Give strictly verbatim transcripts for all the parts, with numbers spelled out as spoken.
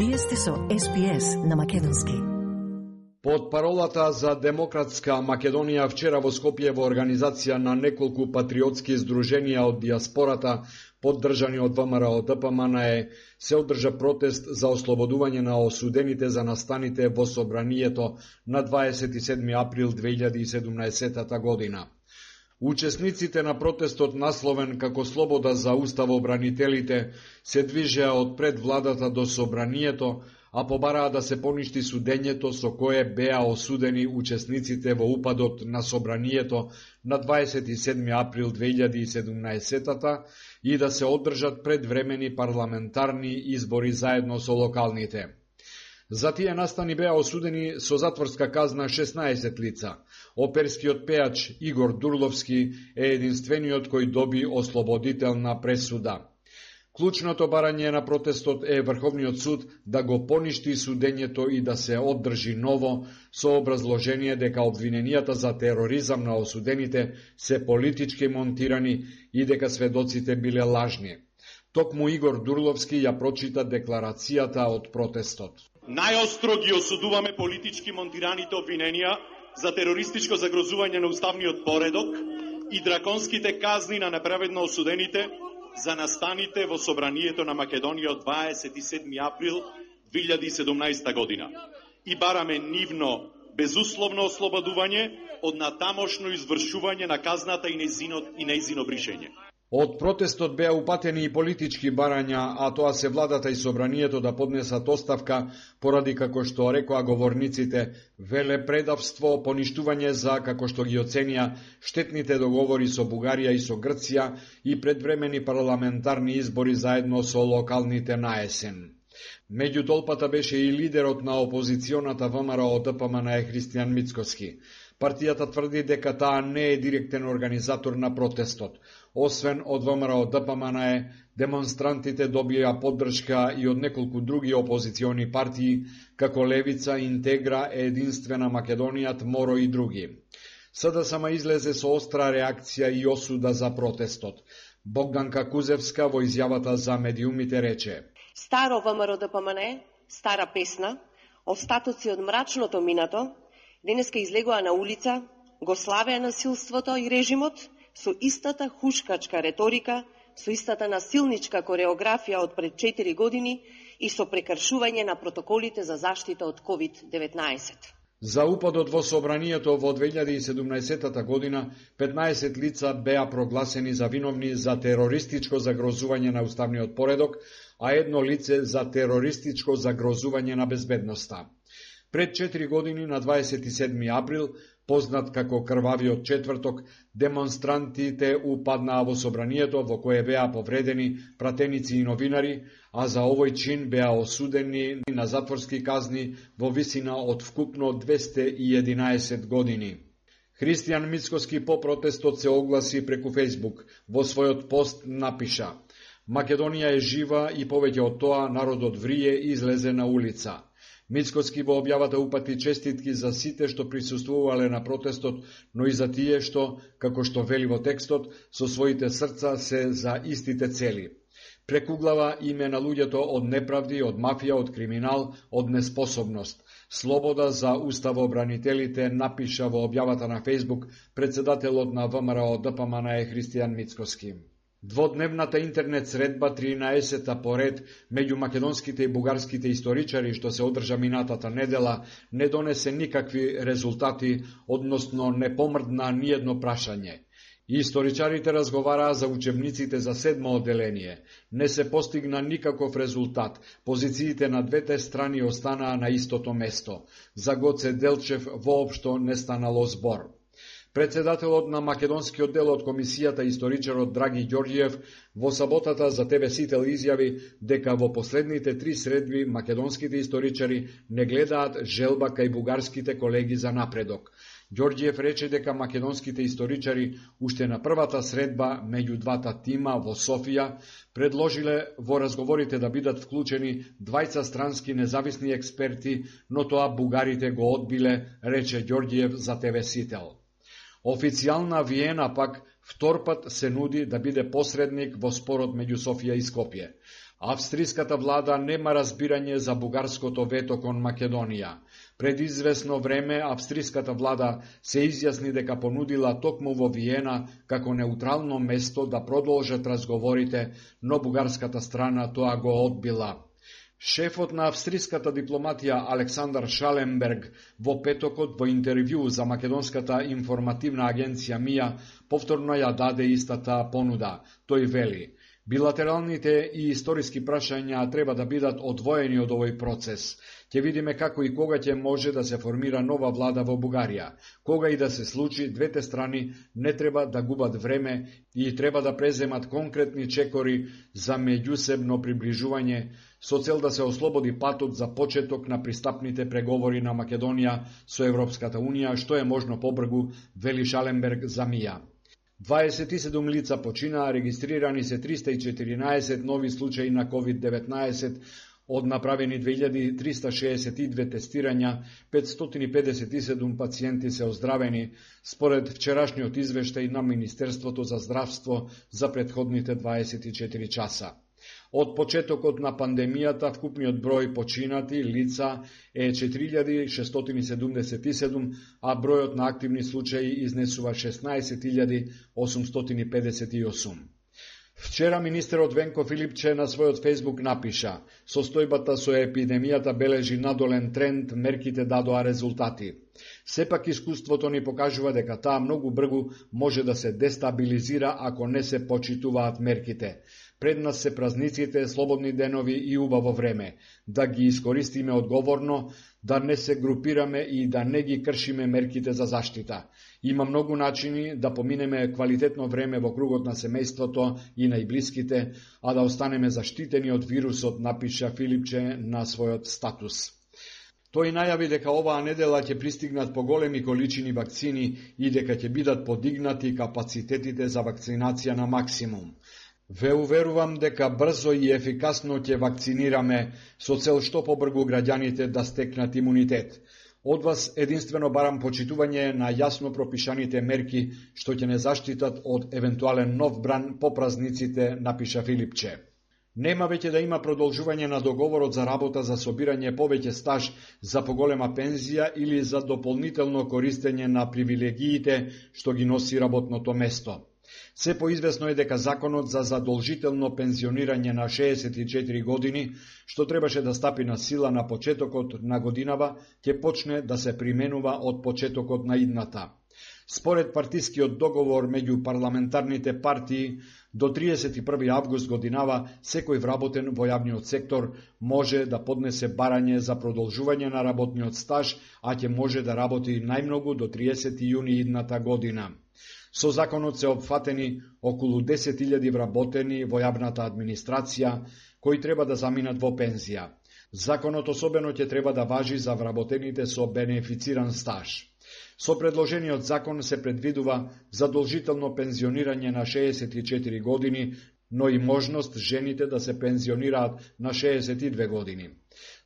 Вие сте со Ес Би Ес на македонски. Под паролата за демократска Македонија вчера во Скопје во организација на неколку патриотски здруженија од диаспората, поддржани од ВМРО Д П М Н Е, се одржа протест за ослободување на осудените за настаните во собранието на дваесет и седми април две илјади и седумнаесета година. Учесниците на протестот, насловен како Слобода за уставобранителите, се движеа од пред владата до собранието, а побараа да се поништи судењето со кое беа осудени учесниците во упадот на собранието на дваесет и седми април две илјади и седумнаесета и да се одржат предвремени парламентарни избори заедно со локалните. За тие настани беа осудени со затворска казна шеснаесет лица. Оперскиот пеач Игор Дурловски е единствениот кој доби ослободителна пресуда. Клучното барање на протестот е Врховниот суд да го поништи судењето и да се оддржи ново, со образложение дека обвиненијата за тероризам на осудените се политички монтирани и дека сведоците биле лажни. Токму Игор Дурловски ја прочита декларацијата од протестот. Најостро ги осудуваме политички монтираните обвиненија за терористичко загрозување на уставниот поредок и драконските казни на неправедно осудените за настаните во собранието на Македонија од дваесет и седми април две илјади и седумнаесета година. И бараме нивно безусловно ослободување од натамошно извршување на казната и нејзино и нејзино бришење. Од протестот беа упатени и политички барања, а тоа се владата и собранието да поднесат оставка поради, како што рекоа говорниците, велепредавство, поништување за, како што ги оценија, штетните договори со Бугарија и со Грција и предвремени парламентарни избори заедно со локалните на есен. Меѓу толпата беше и лидерот на опозиционата ВМРО Д П М Н Е Христијан Мицкоски. Партијата тврди дека таа не е директен организатор на протестот. Освен од ВМРО Д П М Н Е, демонстрантите добија поддршка и од неколку други опозициони партии, како Левица, Интегра, Единствена Македонија, Моро и други. С Д С М излезе со остра реакција и осуда за протестот. Богданка Кузевска во изјавата за медиумите рече: Старо ВМРО Д П М Н Е, стара песна, остатоци од мрачното минато, денеска излегоа на улица, го славеа насилството и режимот со истата хушкачка реторика, со истата насилничка кореографија од пред четири години и со прекршување на протоколите за заштита од ковид деветнаесет. За упадот во собранието во две илјади и седумнаесета година петнаесет лица беа прогласени за виновни за терористичко загрозување на уставниот поредок, а едно лице за терористичко загрозување на безбедноста. Пред четири години, на дваесет и седми април, познат како крвавиот четврток, демонстрантите упаднаа во собранието во кое беа повредени пратеници и новинари, а за овој чин беа осудени на затворски казни во висина од вкупно двесте и единаесет години. Христијан Мицкоски по протестот се огласи преку Фејсбук. Во својот пост напиша: Македонија е жива и повеќе од тоа народот врие и излезе на улица. Мицкоски во објавата упати честитки за сите што присуствувале на протестот, но и за тие што, како што вели во текстот, со своите срца се за истите цели. Прекуглава име на луѓето од неправди, од мафија, од криминал, од неспособност. Слобода за уставобранителите, напиша во објавата на Фејсбук председателот на ВМРО Д П М Н Е Христијан Мицкоски. Дводневната интернет средба, тринаесета поред меѓу македонските и бугарските историчари што се одржа минатата недела, не донесе никакви резултати, односно не помрдна ниедно прашање. Историчарите разговараа за учебниците за седмо одделение. Не се постигна никаков резултат. Позициите на двете страни останаа на истото место. За Гоце Делчев воопшто не станало збор. Председателот на македонскиот дел од комисијата, историчарот Драги Ѓорѓиев, во саботата за Т В Сител изјави дека во последните три средби македонските историчари не гледаат желба кај бугарските колеги за напредок. Ѓорѓиев рече дека македонските историчари уште на првата средба меѓу двата тима во Софија предложиле во разговорите да бидат вклучени двајца странски независни експерти, но тоа бугарите го одбиле, рече Ѓорѓиев за Т В Сител. Официјална Виена пак втор пат се нуди да биде посредник во спорот меѓу Софија и Скопје. Австриската влада нема разбирање за бугарското вето кон Македонија. Пред известно време австриската влада се изјасни дека понудила токму во Виена како неутрално место да продолжат разговорите, но бугарската страна тоа го одбила. Шефот на австриската дипломатија Александар Шаленберг во петокот во интервју за македонската информативна агенција МИА повторно ја даде истата понуда. Тој вели: билатералните и историски прашања треба да бидат одвоени од овој процес. Ќе видиме како и кога ќе може да се формира нова влада во Бугарија. Кога и да се случи, двете страни не треба да губат време и треба да преземат конкретни чекори за меѓусебно приближување со цел да се ослободи патот за почеток на пристапните преговори на Македонија со Европската Унија, што е можно побрзо, вели Шаленберг за МИА. дваесет и седум лица починаа, регистрирани се триста и четиринаесет нови случаи на ковид деветнаесет, од направени две илјади триста шеесет и две тестирања, петстотини педесет и седум пациенти се оздравени, според вчерашниот извештај на Министерството за здравство за претходните дваесет и четири часа. Од почетокот на пандемијата вкупниот број починати лица е четири илјади шестстотини седумдесет и седум, а бројот на активни случаи изнесува шеснаесет илјади осумстотини педесет и осум. Вчера министерот Венко Филипче на својот фејсбук напиша: состојбата со епидемијата бележи надолен тренд, мерките дадоа резултати. Сепак искуството ни покажува дека таа многу брзо може да се дестабилизира ако не се почитуваат мерките. Пред нас се празниците, слободни денови и убаво време. Да ги искористиме одговорно, да не се групираме и да не ги кршиме мерките за заштита. Има многу начини да поминеме квалитетно време во кругот на семејството и најблиските, а да останеме заштитени од вирусот, напиша Филипче на својот статус. Тој најави дека оваа недела ќе пристигнат поголеми количини вакцини и дека ќе бидат подигнати капацитетите за вакцинација на максимум. Ве уверувам дека брзо и ефикасно ќе вакцинираме со цел што побрзо граѓаните да стекнат имунитет. Од вас единствено барам почитување на јасно пропишаните мерки што ќе не заштитат од евентуален нов бран по празниците, напиша Филипче. Нема веќе да има продолжување на договорот за работа за собирање повеќе стаж за поголема пензија или за дополнително користење на привилегиите што ги носи работното место. Се поизвестно е дека законот за задолжително пензионирање на шеесет и четири години, што требаше да стапи на сила на почетокот на годинава, ќе почне да се применува од почетокот на идната. Според партискиот договор меѓу парламентарните партии, до триесет и први август годинава секој вработен во јавниот сектор може да поднесе барање за продолжување на работниот стаж, а ќе може да работи најмногу до триесети јуни идната година. Со законот се опфатени околу десет илјади вработени во јавната администрација, кои треба да заминат во пензија. Законот особено ќе треба да важи за вработените со бенефициран стаж. Со предложениот закон се предвидува задолжително пензионирање на шеесет и четири години, но и можност жените да се пензионираат на шеесет и две години.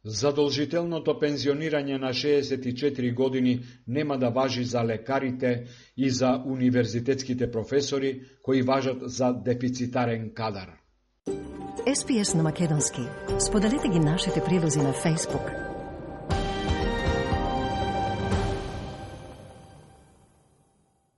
Задолжителното пензионирање на шеесет и четири години нема да важи за лекарите и за универзитетските професори, кои важат за дефицитарен кадар. Ес Би Ес на македонски. Споделете ги нашите прилози на Facebook.